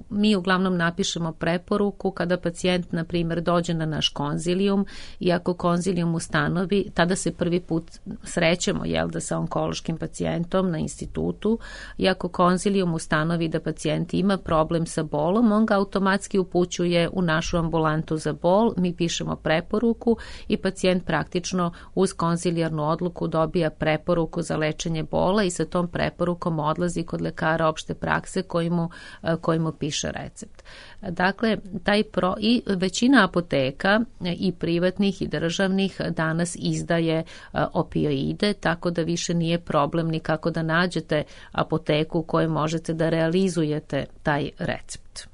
Speaker 5: mi uglavnom napišemo preporuku kada pacijent, na primjer, dođe na naš konzilijum i ako konzilijum ustanovi, tada se prvi put srećemo, jel da, sa onkološkim pacijentom na institutu, i ako konzilijum ustanovi da pacijent ima problem sa bolom, on ga automatski upućuje u našu ambulantu za bol, mi pišemo preporuku i pacijent praktično uz konzilijarnu odluku dobija preporuku za lečenje bola i sa tom preporukom odlazi kod lekara opšte prakse koji mu, koji mu piše recept. Dakle, taj pro, i većina apoteka i privatnih i državnih danas izdaje opioide, tako da više nije problem nikako da nađete apoteku u kojoj možete da realizujete taj recept.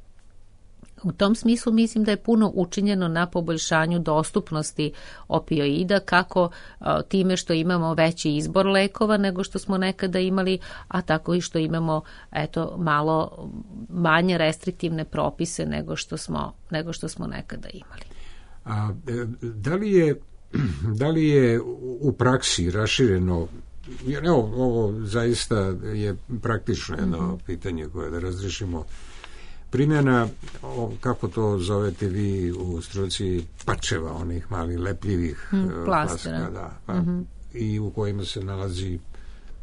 Speaker 5: U tom smislu mislim da je puno učinjeno na poboljšanju dostupnosti opioida, kako a, time što imamo veći izbor lekova nego što smo nekada imali, a tako i što imamo eto malo manje restriktivne propise nego što smo, nego što smo nekada imali.
Speaker 1: A da li je, da li je u praksi rašireno, jer evo, ovo zaista je praktično jedno mm-hmm. pitanje koje da razrešimo, primjena, kako to zovete vi u struci, pačeva, onih malih lepljivih
Speaker 5: hmm, plastera,
Speaker 1: plaska, da, pa,
Speaker 5: mm-hmm.
Speaker 1: i u kojima se nalazi,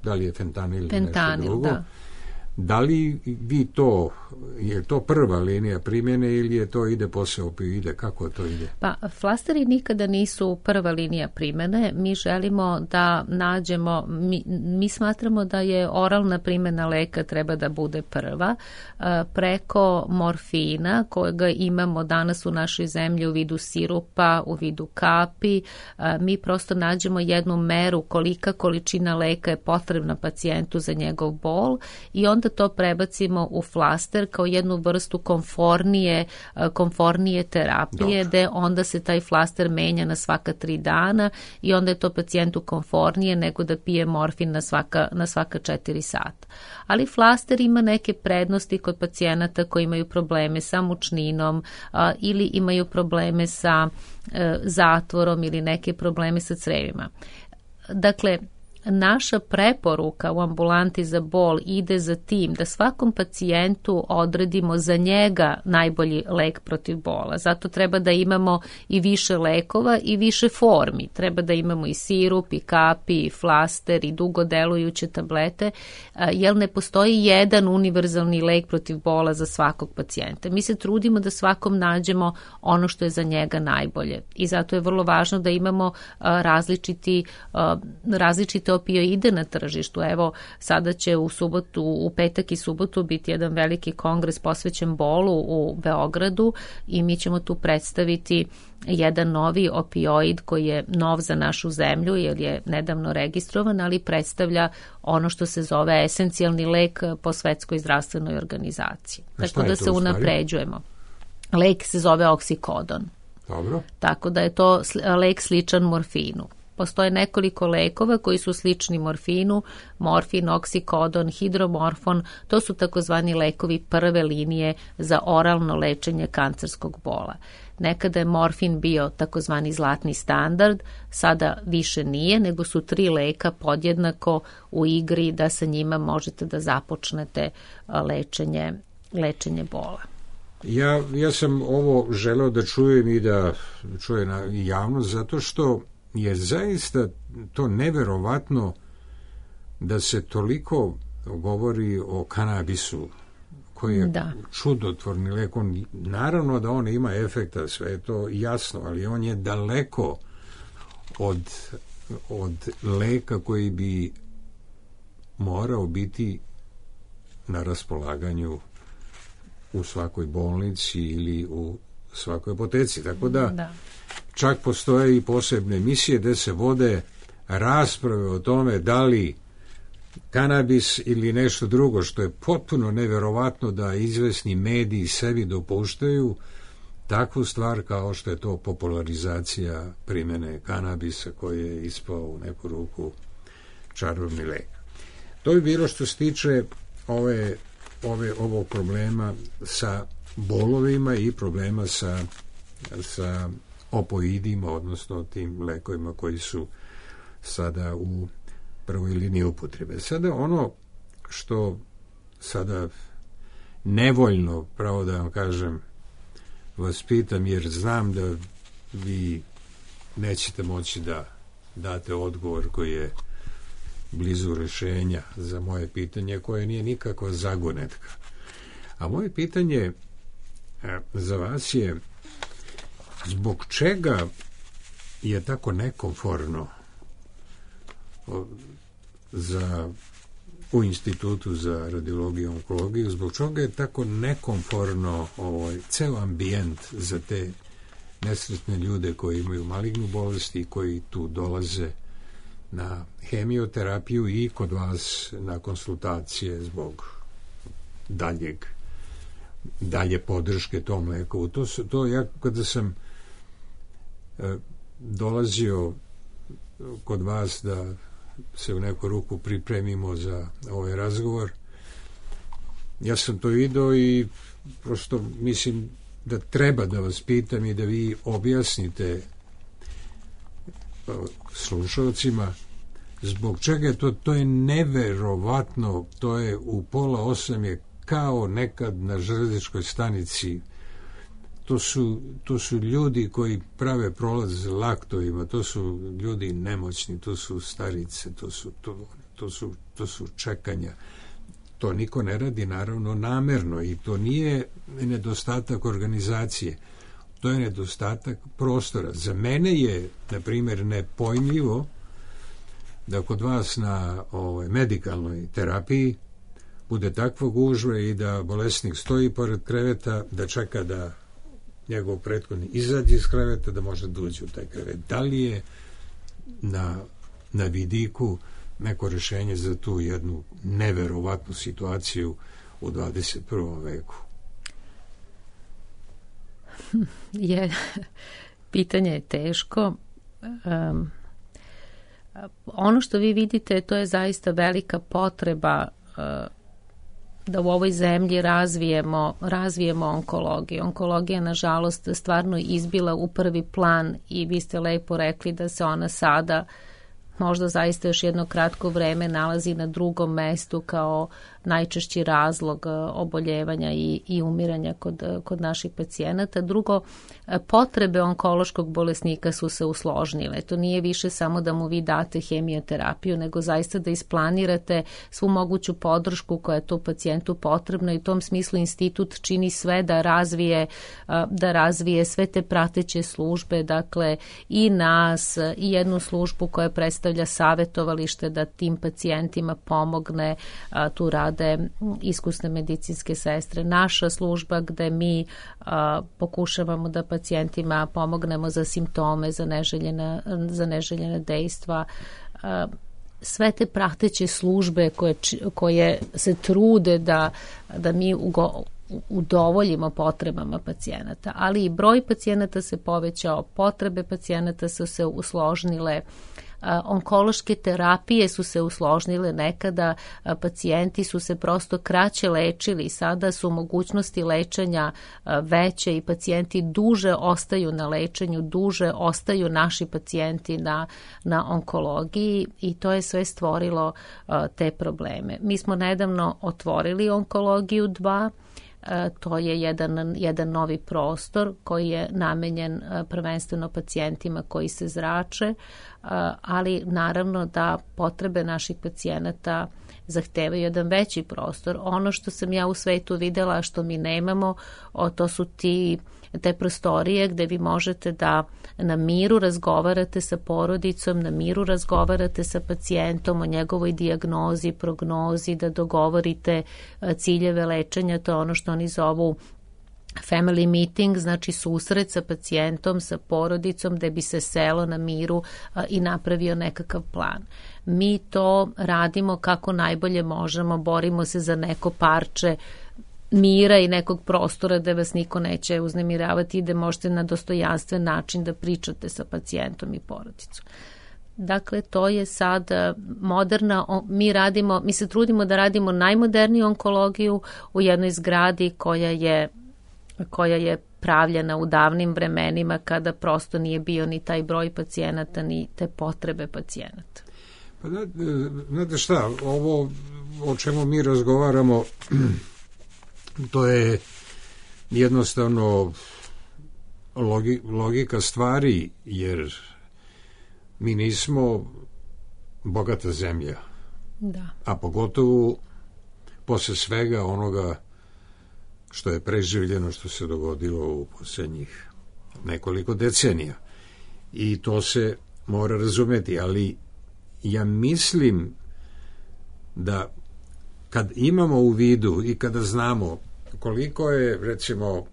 Speaker 1: da li je fentanil,
Speaker 5: fentanil
Speaker 1: nešto drugo.
Speaker 5: Da.
Speaker 1: Da li vi to, je to prva linija primjene ili je to ide posle opioide, kako to ide?
Speaker 5: Pa, flasteri nikada nisu prva linija primjene. Mi želimo da nađemo, mi, mi smatramo da je oralna primjena leka treba da bude prva. Preko morfina, kojega imamo danas u našoj zemlji u vidu sirupa, u vidu kapi, mi prosto nađemo jednu meru kolika količina leka je potrebna pacijentu za njegov bol i onda to prebacimo u flaster kao jednu vrstu konfornije, konfornije terapije, gde onda se taj flaster menja na svaka tri dana i onda je to pacijentu konfornije nego da pije morfin na svaka, na svaka četiri sata. Ali flaster ima neke prednosti kod pacijenata koji imaju probleme sa mučninom a, ili imaju probleme sa e, zatvorom ili neke probleme sa crevima. Dakle, naša preporuka u ambulanti za bol ide za tim da svakom pacijentu odredimo za njega najbolji lek protiv bola. Zato treba da imamo i više lekova i više formi. Treba da imamo i sirup, i kapi, i flaster, i dugo delujuće tablete, jer ne postoji jedan univerzalni lek protiv bola za svakog pacijenta. Mi se trudimo da svakom nađemo ono što je za njega najbolje. I zato je vrlo važno da imamo različiti, različite opioide na tržištu. Evo, sada će u subotu, u petak i subotu biti jedan veliki kongres posvećen bolu u Beogradu i mi ćemo tu predstaviti jedan novi opioid koji je nov za našu zemlju jer je nedavno registrovan, ali predstavlja ono što se zove esencijalni lek po Svetskoj zdravstvenoj organizaciji. Tako da se unapređujemo. Lek se zove oksikodon.
Speaker 1: Dobro.
Speaker 5: Tako da je to lek sličan morfinu. Postoje nekoliko lekova koji su slični morfinu, morfin, oksikodon, hidromorfon, to su takozvani lekovi prve linije za oralno lečenje kancerskog bola. Nekada je morfin bio takozvani zlatni standard, sada više nije, nego su tri leka podjednako u igri da sa njima možete da započnete lečenje, lečenje bola.
Speaker 1: Ja, ja sam ovo želeo da čujem i da čuje na javnost, zato što je zaista to neverovatno da se toliko govori o kanabisu, koji je da. čudotvorni lek. On, naravno da on ima efekta, sve je to jasno, ali on je daleko od, od leka koji bi morao biti na raspolaganju u svakoj bolnici ili u svakoj apoteci. Tako da, da. čak postoje i posebne emisije gde se vode rasprave o tome da li kanabis ili nešto drugo, što je potpuno neverovatno da izvesni mediji sebi dopuštaju, takvu stvar kao što je to popularizacija primjene kanabisa koji je ispao u neku ruku čarobni lek. To bi bilo što se tiče ove, ove, ovog problema sa bolovima i problema sa, sa opoidima, odnosno tim lekovima koji su sada u prvoj liniji upotrebe. Sada ono što sada nevoljno, pravo da vam kažem, vas pitam, jer znam da vi nećete moći da date odgovor koji je blizu rešenja za moje pitanje, koje nije nikakva zagonetka. A moje pitanje za vas je zbog čega je tako nekomforno za u Institutu za radiologiju i onkologiju, zbog čega je tako nekomforno ovaj, ceo ambijent za te nesretne ljude koji imaju malignu bolest i koji tu dolaze na hemioterapiju i kod vas na konsultacije zbog daljeg dalje podrške tom lekovu. To, su, to ja kada sam e, dolazio kod vas da se u neku ruku pripremimo za ovaj razgovor, ja sam to video i prosto mislim da treba da vas pitam i da vi objasnite slušalcima zbog čega je to, to je neverovatno, to je u pola osam je kao nekad na železničkoj stanici. To su, to su ljudi koji prave prolaz laktovima, to su ljudi nemoćni, to su starice, to su, to, to su, to su čekanja. To niko ne radi naravno namerno i to nije nedostatak organizacije, to je nedostatak prostora. Za mene je, na primjer, nepojmljivo da kod vas na ovaj, medikalnoj terapiji bude takva gužva i da bolesnik stoji pored kreveta, da čeka da njegov prethodni izađe iz kreveta, da može da uđe u taj krevet. Da li je na, na vidiku neko rešenje za tu jednu neverovatnu situaciju u dvadeset prvom veku?
Speaker 5: Je, pitanje je teško. Um, ono što vi vidite, to je zaista velika potreba uh, da u ovoj zemlji razvijemo, razvijemo onkologiju. Onkologija, nažalost, stvarno izbila u prvi plan i vi ste lepo rekli da se ona sada možda zaista još jedno kratko vreme nalazi na drugom mestu kao najčešći razlog oboljevanja i, i umiranja kod, kod naših pacijenata. Drugo, potrebe onkološkog bolesnika su se usložnile. To nije više samo da mu vi date hemioterapiju, nego zaista da isplanirate svu moguću podršku koja je to pacijentu potrebna i u tom smislu institut čini sve da razvije, da razvije sve te prateće službe, dakle i nas, i jednu službu koja predstavlja savetovalište da tim pacijentima pomogne, tu rade iskusne medicinske sestre. Naša služba gde mi a, pokušavamo da pacijentima pomognemo za simptome, za neželjena, za neželjena dejstva. A, sve te prateće službe koje, koje se trude da, da mi ugo, udovoljimo potrebama pacijenata, ali i broj pacijenata se povećao, potrebe pacijenata su se usložnile, onkološke terapije su se usložnile, nekada pacijenti su se prosto kraće lečili, sada su mogućnosti lečenja veće i pacijenti duže ostaju na lečenju, duže ostaju naši pacijenti na, na onkologiji i to je sve stvorilo te probleme. Mi smo nedavno otvorili onkologiju dva, to je jedan, jedan novi prostor koji je namenjen prvenstveno pacijentima koji se zrače, ali naravno da potrebe naših pacijenata zahtevaju jedan veći prostor. Ono što sam ja u svetu videla, što mi nemamo, o, to su ti te prostorije gde vi možete da na miru razgovarate sa porodicom, na miru razgovarate sa pacijentom o njegovoj dijagnozi, prognozi, da dogovorite ciljeve lečenja, to je ono što oni zovu family meeting, znači susret sa pacijentom, sa porodicom, gde bi se selo na miru a, i napravio nekakav plan. Mi to radimo kako najbolje možemo, borimo se za neko parče mira i nekog prostora da vas niko neće uznemiravati i da možete na dostojanstven način da pričate sa pacijentom i porodicom. Dakle, to je sad moderna, mi radimo, mi se trudimo da radimo najmoderniju onkologiju u jednoj zgradi koja je, koja je pravljena u davnim vremenima kada prosto nije bio ni taj broj pacijenata, ni te potrebe pacijenata.
Speaker 1: Pa da, znate šta, ovo o čemu mi razgovaramo, to je jednostavno logi, logika stvari, jer mi nismo bogata zemlja.
Speaker 5: Da. A
Speaker 1: pogotovo posle svega onoga što je preživljeno, što se dogodilo u posljednjih nekoliko decenija. I to se mora razumeti, ali ja mislim da kad imamo u vidu i kada znamo koliko je, recimo,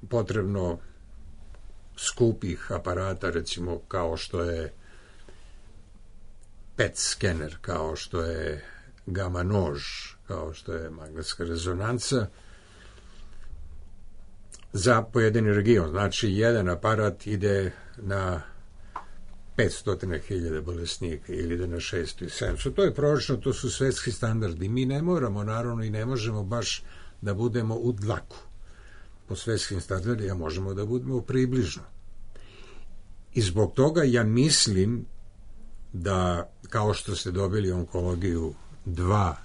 Speaker 1: potrebno skupih aparata, recimo kao što je P E T skener, kao što je gama nož, kao što je magnetska rezonanca, za pojedini region. Znači, jedan aparat ide na petsto hiljada bolesnika ili ide na šesto i sedamsto. To je pročno, to su svetski standardi. Mi ne moramo, naravno, i ne možemo baš da budemo u dlaku po svetskim standardima, možemo da budemo približno. I zbog toga ja mislim da, kao što ste dobili onkologiju dva,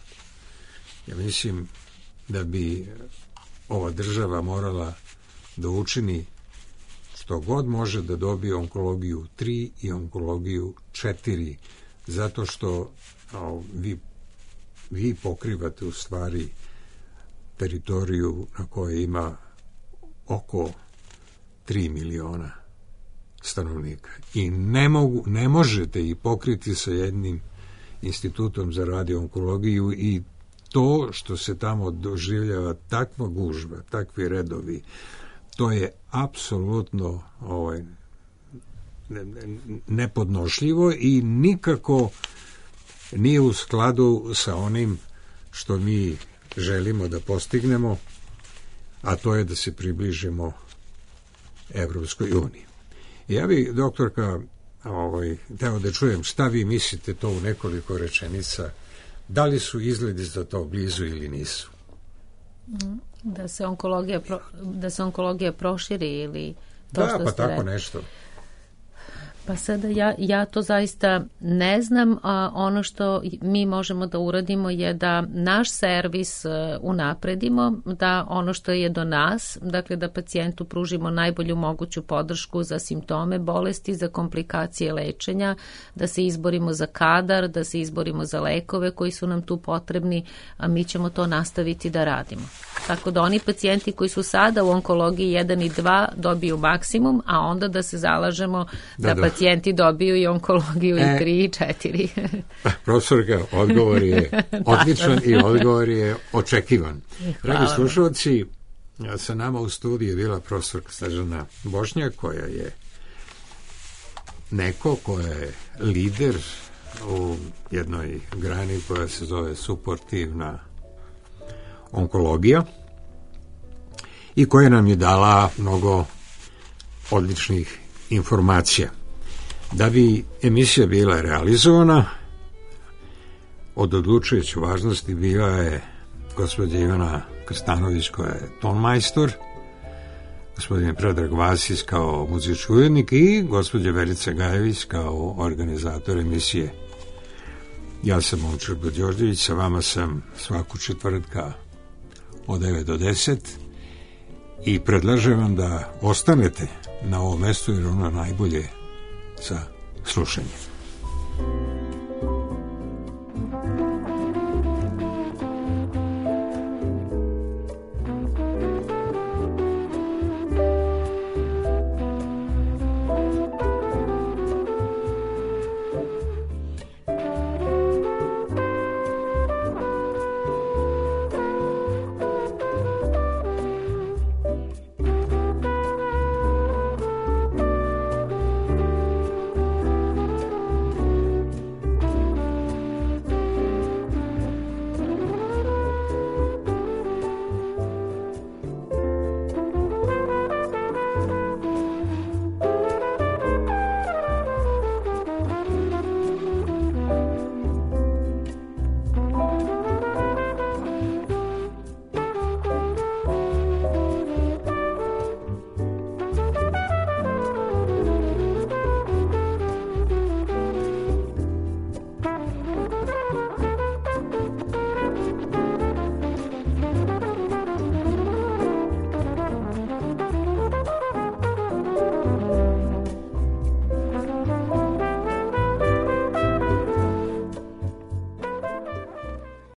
Speaker 1: ja mislim da bi ova država morala da učini što god može da dobije onkologiju tri i onkologiju četiri, zato što o, vi, vi pokrivate u stvari teritoriju na kojoj ima oko tri miliona stanovnika. I ne, mogu, ne možete ih pokriti sa jednim institutom za radioonkologiju, i to što se tamo doživljava takva gužva, takvi redovi, to je apsolutno ovaj, nepodnošljivo i nikako nije u skladu sa onim što mi želimo da postignemo, a to je da se približimo Evropskoj uniji. Ja bih, doktorka, ovaj, teo da čujem šta vi mislite to u nekoliko rečenica, da li su izgledi za to blizu ili nisu?
Speaker 5: Da se onkologija, pro, da se onkologija proširi ili to
Speaker 1: da,
Speaker 5: što
Speaker 1: pa
Speaker 5: ste
Speaker 1: tako
Speaker 5: rekli.
Speaker 1: nešto.
Speaker 5: Pa sada ja, ja to zaista ne znam, a ono što mi možemo da uradimo je da naš servis unapredimo, da ono što je do nas, dakle da pacijentu pružimo najbolju moguću podršku za simptome bolesti, za komplikacije lečenja, da se izborimo za kadar, da se izborimo za lekove koji su nam tu potrebni, a mi ćemo to nastaviti da radimo. Tako da oni pacijenti koji su sada u onkologiji jedan i dva dobiju maksimum, a onda da se zalažemo da, da, da. pacijenti dobiju i onkologiju e, i tri i četiri.
Speaker 1: Profesorka, odgovor je odličan i odgovor je očekivan. Dragi slušalci, sa nama u studiju je bila profesorka Snežana Bošnjak, koja je neko koja je lider u jednoj grani koja se zove suportivna onkologija i koja nam je dala mnogo odličnih informacija. Da bi emisija bila realizovana, od odlučujuće važnosti bila je gospođa Ivana Krstanović, koja je tonmajstor, gospodin Predrag Vasić kao muzički urednik i gospođa Verica Gajević kao organizator emisije. Ja sam Momčar Đorđević, sa vama sam svaku četvrtka od devet do deset i predlažem vam da ostanete na ovom mestu jer ono najbolje za slušanje.